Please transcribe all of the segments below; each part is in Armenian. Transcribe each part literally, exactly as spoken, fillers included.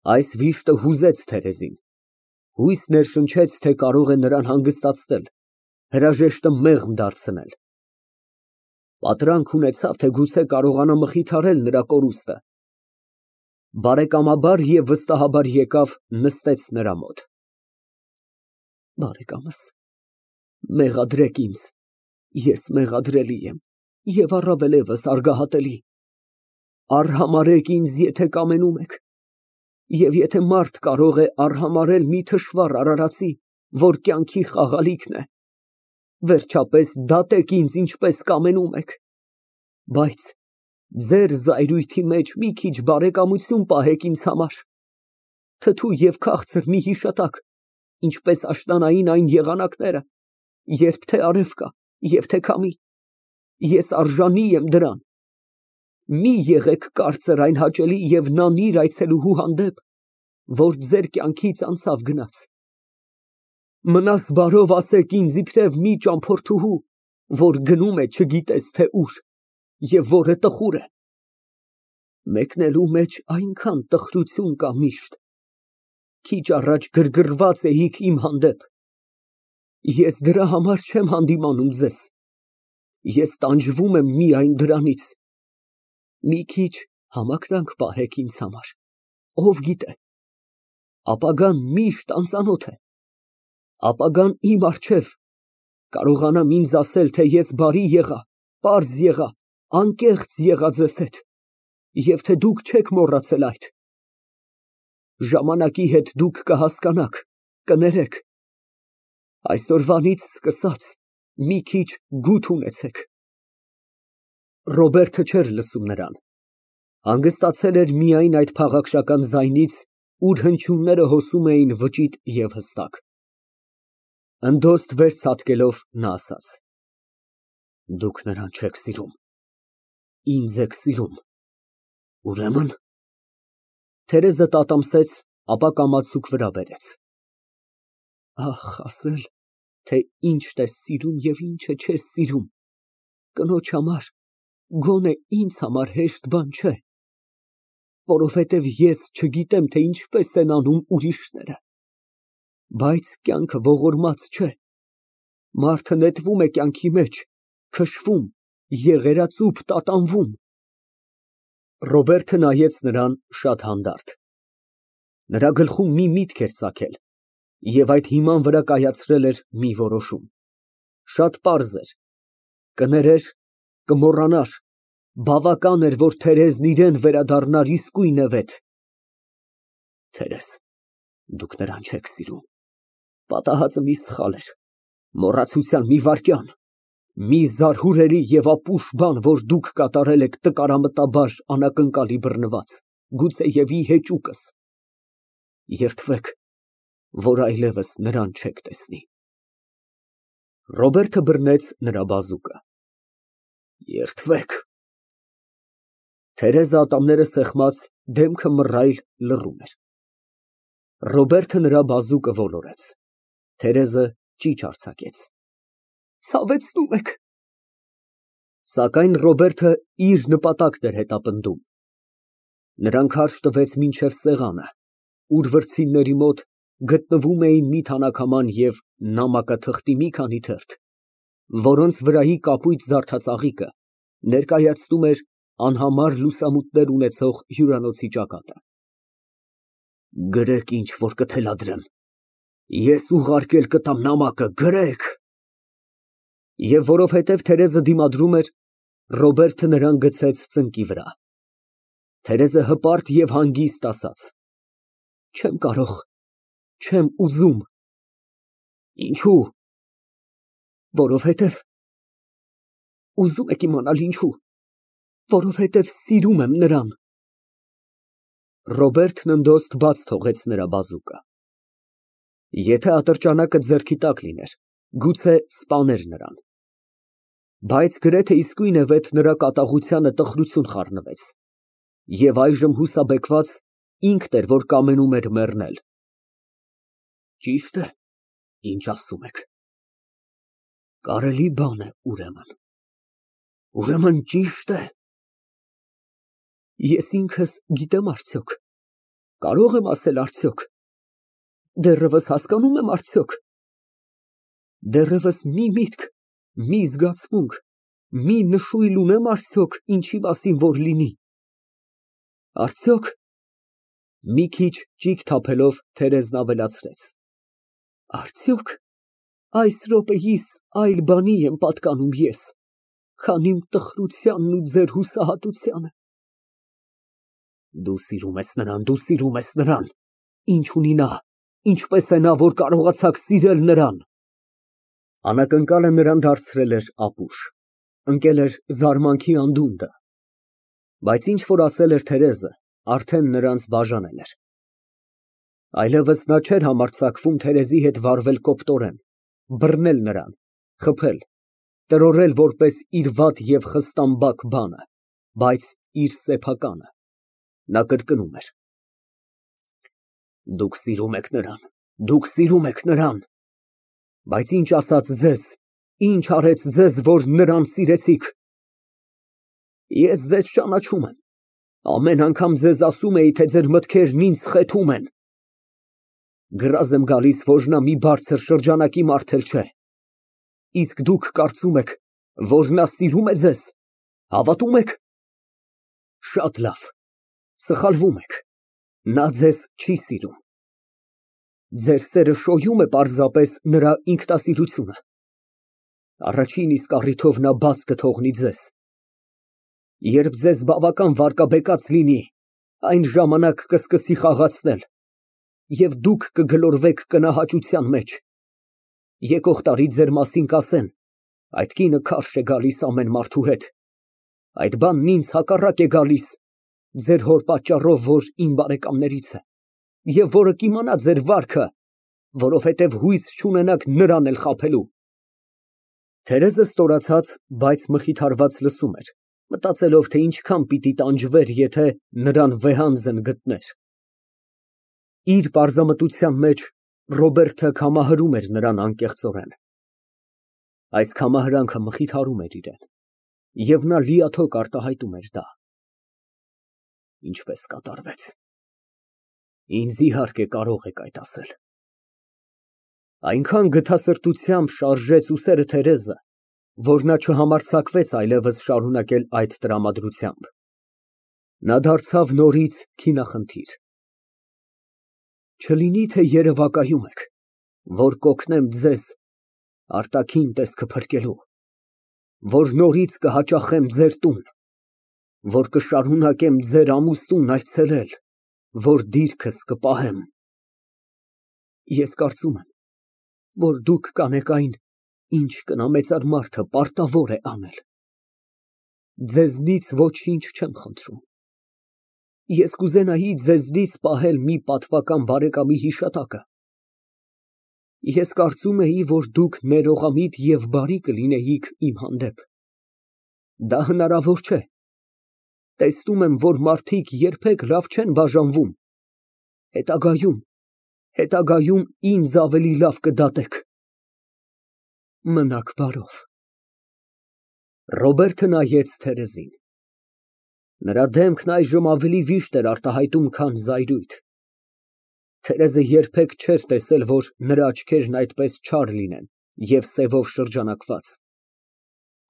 Այս վիշտը հուզեց Թերեզին, հույս ներշնչեց, թե կարող է նրան հանգստացնել, հրաժեշտը մեղմ դարձնել, պատրանք ունեցավ, թե գուցե կարողանա մխիթարել նրա կորուստը, բարեկամաբար և վստահաբար եկավ, նստեց նրա մոտ։ Բարեկամս, մեղադրեք ինձ, ես մեղադրելի եմ և առավելևս արգահատելի, արհամարհեք ինձ, եթե կամենում եք, և եթե մարդ կարող է արհամարհել մի թշվառ արարածի, որ կյանքի խաղալիքն է, վերջապես դատեք ինձ, ինչպես կամենում եք, բայց ձեր զայրույթի մեջ մի քիչ բարեկամություն պահեք ինձ համար, թթու և քաղցր մի հիշատակ, ինչպես աշնանային այն եղանակները, երբ թե արև կա, և թե քամի, ես արժանի եմ դրան, մի եղեք կարծր այն հաճելի և նանիր այցելուհու հանդեպ, որ ձեր կյանքից անցավ գնաց, մնաս բարով ասեք ինձ իբրև մի ճամփորդուհու, որ գնում է չգիտես թե ուր և որը տխուր է, մեկնելու մեջ այնքան տխրություն կա միշտ, քիչ առաջ գրգռված էիք իմ հանդեպ, ես դրա համար չեմ հանդիմանում ձեզ, ես տանջվում եմ միայն դրանից, մի քիչ համակրանք պահեք ինձ համար, ով գիտե, ապագան միշտ անծանոթ է, ապագան իմ առջև, կարողանամ ինձ ասել, թե ես բարի եղա, պարզ եղա, անկեղծ եղա ձեզ հետ, և թե դուք չեք մոռացել այդ, ժամանակի հետ դուք կհասկանաք, կներեք, այսօրվանից սկսած մի քիչ գութ ունեցեք։ Ռոբերտը չէր լսում նրան, հանգստացել էր միայն այդ փաղաքշական ձայնից, ուր հնչյունները հոսում էին վճիտ և հստակ։ Ընդոստ վեր ցատկելով նա ասաց. Դուք նրան չեք սիրում, ինձ եք սիրում, ուրեմն… Թերեզը տատամսեց, ապա կամացուկ վրա բերեց։ Ահ, ասել, թե ինչդ ես սիրում և ինչը չես սիրում, կնոջ համար, գոնե ինձ համար հեշտ բան չէ, որովհետև ես չգիտեմ, թե ինչպես են անում ուրիշները, բայց կյանքը ողորմած չէ, մարդը նետվում է կյանքի մեջ, քշվում, եղերածուփ տատանվում։ Ռոբերտը նայեց նրան շատ հանդարտ, նրա գլխում մի միտք էր ծագել և այդ հիման վրա կայացրել էր մի որոշում, շատ պարզ էր, կներեր, կմոռանար, բավական էր, որ Թերեզն իրան վերադառնար իսկույնևեթ։ Թերեզ, դուք նրան չեք սիրում, պատահածը մի սխալ էր, մոռացության մի վայրկյան, մի զարհուրելի և ապուշ բան, որ դուք կատարել եք տկարամտաբար անակնկալի բռնված, գուցեև ի հեճուկս, երդվեք, որ այլևս նրան չեք տեսնի։ Ռոբերտը բռնեց նրա բազուկը։ Երդվեք… Թերեզը ատամները սեղմած, դեմքը մռայլ, լռում էր։ Ռոբերտը նրա բազուկը ոլորեց, Թերեզը ճիչ արձակեց։ Ցավեցնում եք… Սակայն Ռոբերտը իր նպատակն էր հետապնդում, նրան քարշ տվեց մինչև սեղանը, ուր վրձինների մոտ գտնվում էին մի թանաքաման և նամակաթղթի մի քանի թերթ, որոնց վրայի կապույտ զարդածաղիկը ներկայացնում էր անհամար լուսամուտներ ունեցող հյուրանոցի ճակատը։ Գրեք, ինչ որ կթելադրեմ, ես ուղարկել կտամ նամակը, գրեք… Եվ որովհետև Թերեզը դիմադրում էր, Ռոբերտը նրան գցեց ծնկի վրա։ Թերեզը հպարտ և հանգիստ ասաց. Չեմ կարող, չեմ ուզում։ Ինչո՞ւ։ Որովհետև… Ուզում եք իմանալ ինչո՞ւ, որովհետև սիրում եմ նրան։ Ռոբերտն ընդոստ բաց թողեց նրա բազուկը։ Եթե ատրճանակը ձեռքի տակ լիներ, գուցե սպաներ նրան, բայց գրեթե իսկույնևեթ նրա կատաղությանը տխրություն խառնվեց, և այժմ հուսաբեկված, ինքն էր, որ կամենում էր մեռնել։ Ճի՞շտ է, ինչ ասում եք։ Կարելի բան է, ուրեմն… Ուրեմն ճի՞շտ է… Ես ինքս գիտեմ արդյոք, Կարո՞ղ եմ ասել արդյոք։ Դեռևս հասկանում եմ արդյոք։ Դեռևս մի միտք, մի զգացմունք, մի նշույլ ունեմ արդյոք ինչի մասին որ լինի։ Արդյոք։ Մի քիչ ճիգ թափելով Թերեզն ավելացրեց. Արդյոք այս րոպեիս այլ բանի եմ պատկանում ես, քան իմ տխրությանն ու ձեր հուսահատությանը։ Դու սիրում ես նրան, դու սիրում ես նրան, ինչ ունի նա, ինչպես է նա, որ կարողացաք սիրել նրան։ Անակնկալը նրան դարձրել էր ապուշ, ընկել էր զարմանքի անդունդը, բայց ինչ որ ասել էր Թերեզը, արդեն նրանց բաժանել էր։ Այլևս նա չէր համարձակվում Թերեզի հետ վարվել կոպտորեն, բռնել նրան, խփել, տրորել որպես իր վատ և խստամբակ բանը, բայց իր սեփականը։ Նա կրկնում էր. Դուք սիրում եք նրան, դուք սիրում եք նրան, բայց ինչ ասաց ձեզ, ինչ արեց ձեզ, որ նրան սիրեցիք։ Ես ձեզ ճանաչում եմ, ամեն անգամ ձեզ ասում էի, թե ձեր մտքերն ինձ խեթում են։ Գրազ եմ գալիս, որ նա մի բարձր շրջանակի մարդ էլ չէ, իսկ դուք կարծում եք, որ նա սիրում է ձեզ, հավատում եք։ Շատ լավ, սխալվում եք, նա ձեզ չի սիրում։ Ձեր սերը շոյում է պարզապես նրա ինքնասիրությունը։ Առաջին իսկ առիթով նա բաց կթողնի ձեզ։ Երբ ձեզ բավական վարկաբեկած լինի, այն ժամանակ կսկսի խաղացնել, և դուք կգլորվեք կնահաճության մեջ։ Եկող տարի ձեր մասին կասեն. այդ կինը քարշ է գալիս ամեն մարդու հետ, այդ բանն ինձ հակառակ է գալիս, ձեր հոր պատճառով, որ իմ բարեկամներից է, և որը կիմանա ձեր վարքը, որովհետև հույս չունենաք նրան էլ խաբելու։ Թերեզը ստորացած, բայց մխիթարված լսում էր, մտածելով, թե ինչքան պիտի տանջվեր, եթե նրան վեհանձն գտներ։ Իր պարզամտության մեջ Ռոբերտը կամահրում էր նրան անկեղծորեն։ Այս կամահրանքը մխիթարում էր իրան, և նա լիաթոք արտահայտում էր դա։ Ինչպես կատարվեց։ Ինձ իհարկե կարող եք այդ ասել։ Այնքան գթասրտությամբ շարժեց ուսերը Թերեզը, որ նա չհամարձակվեց այլևս շարունակել այդ տրամադրությամբ։ Նա դարձավ նորից քինախնդիր։ Չլինի թե երևակայում եք, որ կօգնեմ ձեզ արտաքին տեսքը փրկելու, որ նորից կհաճախեմ ձեր տուն, որ կշարունակեմ ձեր ամուսնուն այցելել, որ դիրքս կպահեմ։ Ես կարծում եմ, որ դուք կանեք այն, ինչ կնամեծար մարդը պարտավոր է անել։ Ձեզնից ոչինչ չեմ խնդրում։ Ես կուզենայի ձեզնից պահել մի պատվական բարեկամի հիշատակը։ Ես կարծում էի, որ դուք ներողամիտ և բարի կլինեիք իմ հանդեպ։ Դա հնարավոր չէ։ Տեսնում եմ, որ մարդիկ երբեք լավ չեն բաժանվում։ Հետագայում, հետագայում ինձ ավելի լավ կդատեք։ Մնաք բարով։ Ռոբերտը նայեց Թերեզին։ Նրա դեմքն այժմ ավելի վիշտ էր արտահայտում, քան զայրույթ։ Թերեզը երբեք չէր տեսել, որ նրա աչքերն այդպես չար լինեն և սևով շրջանակված,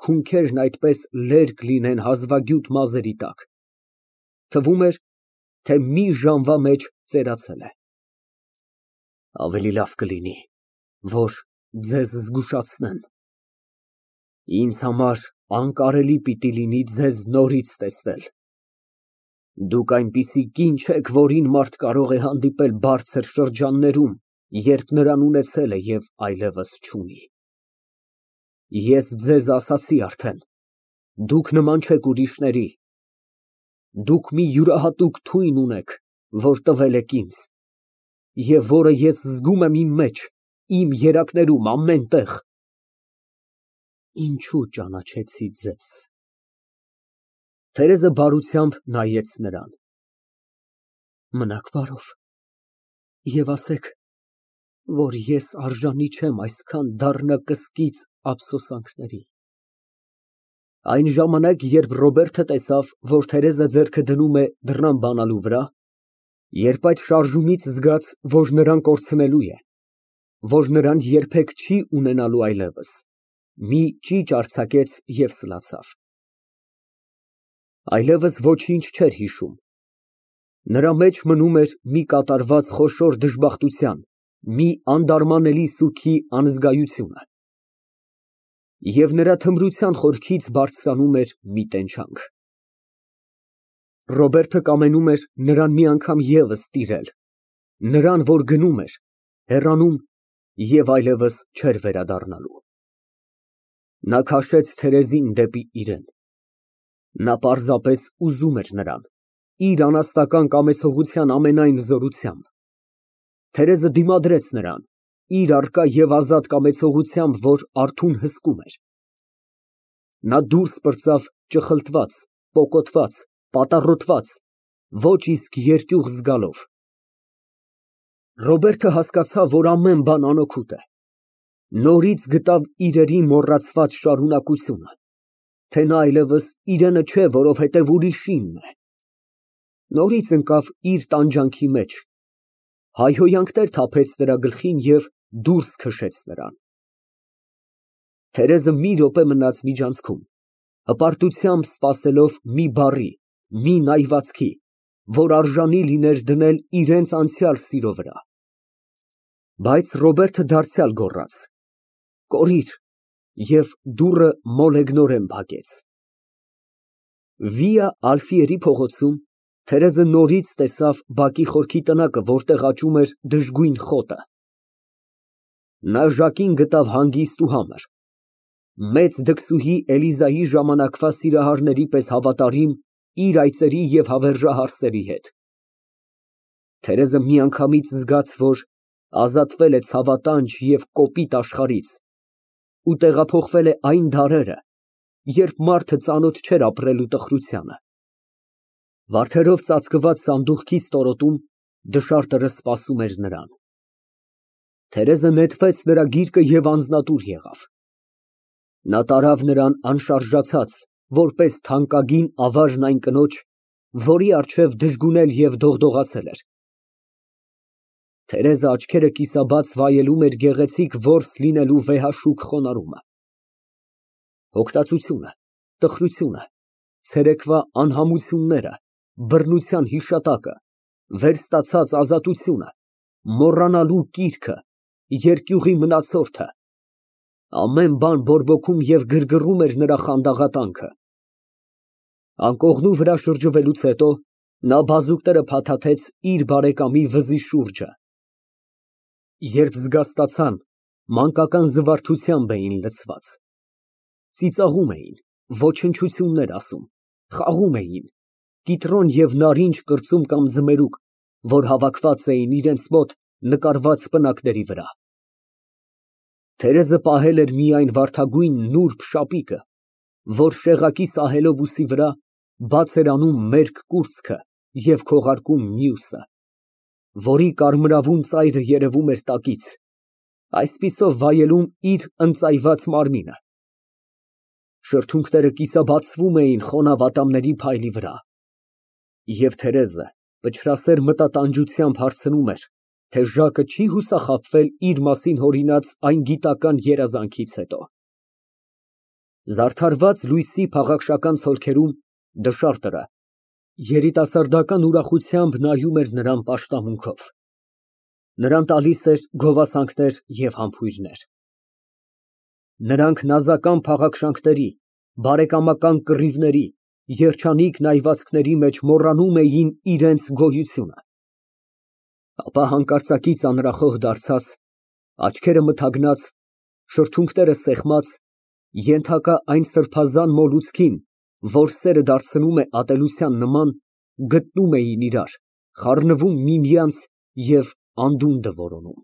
քունքերն այդպես լերկ լինեն հազվագյուտ մազերի տակ։ Թվում էր, թե մի ժամվա մեջ ծերացել է։ Ավելի լավ կլինի, որ ձեզ զգուշացնեմ։ Ինձ համար անկարելի պիտի լինի ձեզ նորից տեսնել։ Դուք այնպիսի կին չեք, որին մարդ կարող է հանդիպել բարձր շրջաններում, երբ նրան ունեցել է և այլևս չունի։ Ես ձեզ ասացի արդեն, դուք նման չեք ուրիշների։ Դուք մի յուրահատուկ թույն ունեք, որ տվել եք ինձ, և որը ես զգում եմ իմ մեջ, իմ երակներում, ամեն տեղ։ Ինչո՞ւ ճանաչեցի ձեզ։ Թերեզը բարությամբ նայեց նրան։ Մնաք բարով և ասեք, որ ես արժանի չեմ այսքան դառնակսկիծ ափսոսանքների։ Այն ժամանակ, երբ Ռոբերտը տեսավ, որ Թերեզը ձեռքը դնում է դռան բանալու վրա, Երբ այդ շարժումից զգաց, որ նրան կորցնելու է, որ նրան երբեք չի ունենալու այլևս, մի ճիճ արձակեց և սլացավ։ Այլևս ոչինչ չէր հիշում։ Նրա մեջ մնում էր մի կատարված խոշոր դժբախտության, մի անդարմանելի սուգի անզգայությունը։ Եվ նրա թմրության խորքից բարձրանում էր մի տենչանք։ Ռոբերտը կամենում էր նրան մի անգամ ևս տիրել, նրան, որ գնում էր, հեռանում և այլևս չէր վերադառնալու։ Նա քաշեց Թերեզին դեպի իրեն։ Նա պարզապես ուզում էր նրան, իր անաստական կամեցողության ամենայն զորությամբ։ Թերեզը դիմադրեց նրան, իր առկա և ազատ կամեցողությամբ, որ արթուն հսկում էր։ Նա դուրս պրծավ ճխլտված, պոկոտված, պատառոտված, ոչ իսկ երկյուղ զգալով։ Ռոբերտը հասկացավ, որ ամեն բան անօգուտ է։ Նորից գտավ իրերի մոռացված շարունակությունը, թե նա այլևս իրենը չէ, որովհետև ուրիշինն է։ Նորից ընկավ իր տանջանքի մեջ, հայհոյանքներ թափեց նրա գլխին և դուրս քշեց նրան։ Թերեզը մի րոպե մնաց միջանցքում, հպարտությամբ սպասելով մի բառի, մի նայվածքի, որ արժանի լիներ դնել իրենց անցյալ սիրո վրա։ Բայց Ռոբերտը դարձյալ գոռաց. «Կորիր» և դուռը մոլեգնորեն փակեց։ Վիա Ալֆիերի փողոցում Թերեզը նորից տեսավ բակի խորքի տնակը, որտեղ աճում էր դժգույն խոտը։ Նա Ժակին գտավ հանգիստ ու համր, մեծ դքսուհի Էլիզայի ժամանակվա սիրահարների պես հավատարիմ իր այծերի և հավերժահար սերի հետ։ Թերեզը միանգամից զգաց, որ ազատվել է ցավատանջ և կոպիտ աշխարհից ու տեղափոխվել է այն դարերը, երբ մարդը ծանոթ չէր ապրելու տխրությանը։ Վարդերով ծածկված սանդուղքի ստորոտում դշարտը սպասում էր նրան։ Թերեզը նետվեց նրա գիրկը և անձնատուր եղավ։ Նա տարավ նրան անշարժացած, որպես թանկագին ավարն այն կնոջ, որի առջև դժգունել և դողդողացել էր։ Թերեզը աչքերը կիսաբաց վայելում էր գեղեցիկ որս լինելու վեհաշուկ խոնարհումը։ Հոգտածությունը, տխրությունը, ցերեկվա անհամությունները, բռնության հիշատակը, վերստացած ազատությունը, մոռանալու կիրքը, երկյուղի մնացորդը, ամեն բան բորբոքում և գրգռում էր նրա խանդաղատանքը։ Անկողնու վրա շրջվելուց հետո նա բազուկները փաթաթեց իր բարեկամի վզի շուրջը։ Երբ զգաստացան, մանկական զվարթությամբ էին լցված։ Ծիծաղում էին, ոչնչություններ ասում, խաղում էին, կիտրոն և նարինջ կրծում կամ ձմերուկ, որ հավաքված էին իրենց մոտ նկարված պնակների վրա։ Թերեզը պահել էր միայն վարդագույն նուրբ շապիկը, որ շեղակի սահելով ուսի վրա, բաց էր անում մերկ կուրծքը և քողարկում մյուսը, որի կարմրավուն ծայրը երևում էր տակից, այսպիսով վայելում իր ընծայված մարմինը։ Շրթունքները կիսաբացվում էին խոնավ ատամների փայլի վրա, և Թերեզը փչրասեր մտատանջությամբ հարցնում էր, թե Ժակը չի հուսախաբվել իր մասին հորինած այն գիտական երազանքից հետո։ Զարդարված լույսի փաղաքշական ցոլքերում դշարտը երիտասարդական ուրախությամբ նայում էր նրան պաշտամունքով։ Նրան տալիս էր գովասանքներ և համբույրներ։ Նրանք նազական փաղաքշանքների, բարեկամական կռիվների, երջանիկ նայվածքների մեջ մոռանում էին իրենց գոյությունը։ Ապա հանկարծակի ծանրախոհ դարձած, աչքերը մթագնած, շրթունքները սեղմած, ենթակա այն սրբազան մոլուցքին, որ սերը դարձնում է ատելության նման, գտնում էին իրար, խառնվում միմյանց և անդունդը որոնում։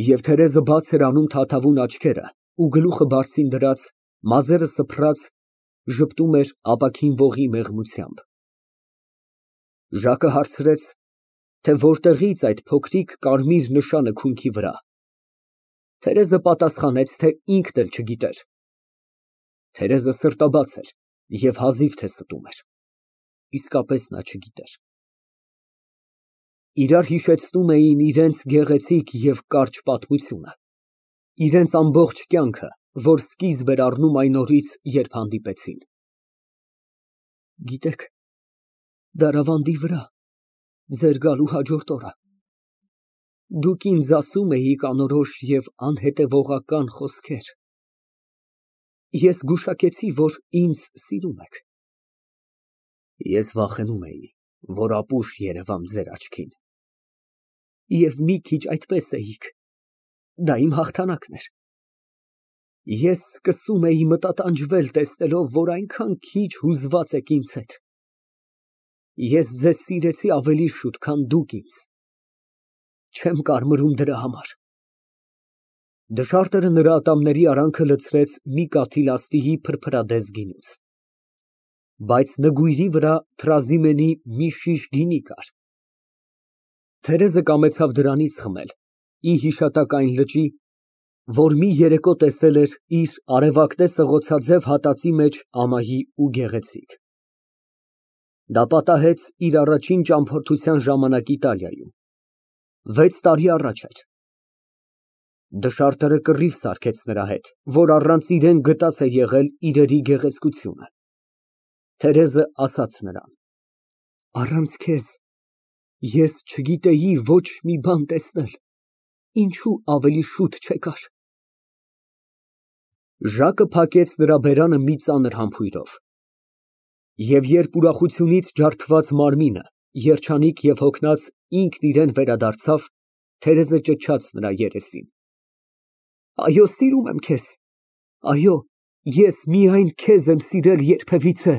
Եվ Թերեզը բաց էր անում թաթավուն աչքերը ու գլուխը բարձին դրած, մազերը սփռած, ժպտում էր ապակին ողի մեղմությամբ։ Ժակը հարցրեց, թե որտեղից այդ փոքրիկ կարմիր նշանը քունքի վրա։ Թերեզը պատասխանեց, թե ինքն էլ չգիտեր։ Թերեզը սրտաբաց էր և հազիվ թե ստում էր։ Իսկապես նա չգիտեր։ Իրար հիշեցնում էին իրենց գեղեցիկ և կարճ պատմությունը, իրենց ամբողջ կյանքը, որ սկիզբ էր առնում այն օրից, երբ հանդիպեցին։ Գիտեք, դարավանդի վրա, ձեր գալու հաջորդ օրը, դուք ինձ ասում էիք անորոշ և անհետևողական խոսքեր, ես գուշակեցի, որ ինձ սիրում եք։ Ես վախենում էի, որ ապուշ երևամ ձեր աչքին։ Եվ մի քիչ այդպես էիք, դա իմ հաղթանակն էր։ Ես սկսում էի մտատանջվել, տեսնելով, որ այնքան քիչ հուզված եք ինձ հետ։ Ես ձեզ սիրեցի ավելի շուտ, քան դուք ինձ, չեմ կարմրում դրա համար։ Դշարտերը նրա ատամների արանքը լցրեց մի կաթիլ աստիճի փրփրադես գինուց, բայց նգույրի վրա Թրազիմենի մի շիշ գինի կար։ Թերեզը կամեցավ դրանից խմել, ի հիշատակ այն լճի, որ մի երեկո տեսել էր իր արևակտե սղոցաձև հատածի մեջ ամահի ու գեղեցիկ։ Դա պատահեց իր առաջին ճամփորդության ժամանակ Իտալիայում, վեց տարի առաջ էր։ Դշարտերը կռիվ սարքեց նրա հետ, որ առանց իրեն գտած է եղել իրերի գեղեցկությունը։ Թերեզը ասաց նրան. Առանց քեզ ես չգիտեի ոչ մի բան տեսնել, ինչու ավելի շուտ չեկար։ Ժակը փակեց նրա բերանը մի ծանր համբույրով, և երբ ուրախությունից ջարդված մարմինը, երջանիկ և հոգնած, ինքն իրան վերադարձավ, Թերեզը ճչաց նրա երեսին. Այո, սիրում եմ քեզ, այո, ես միայն քեզ եմ սիրել երբևիցե։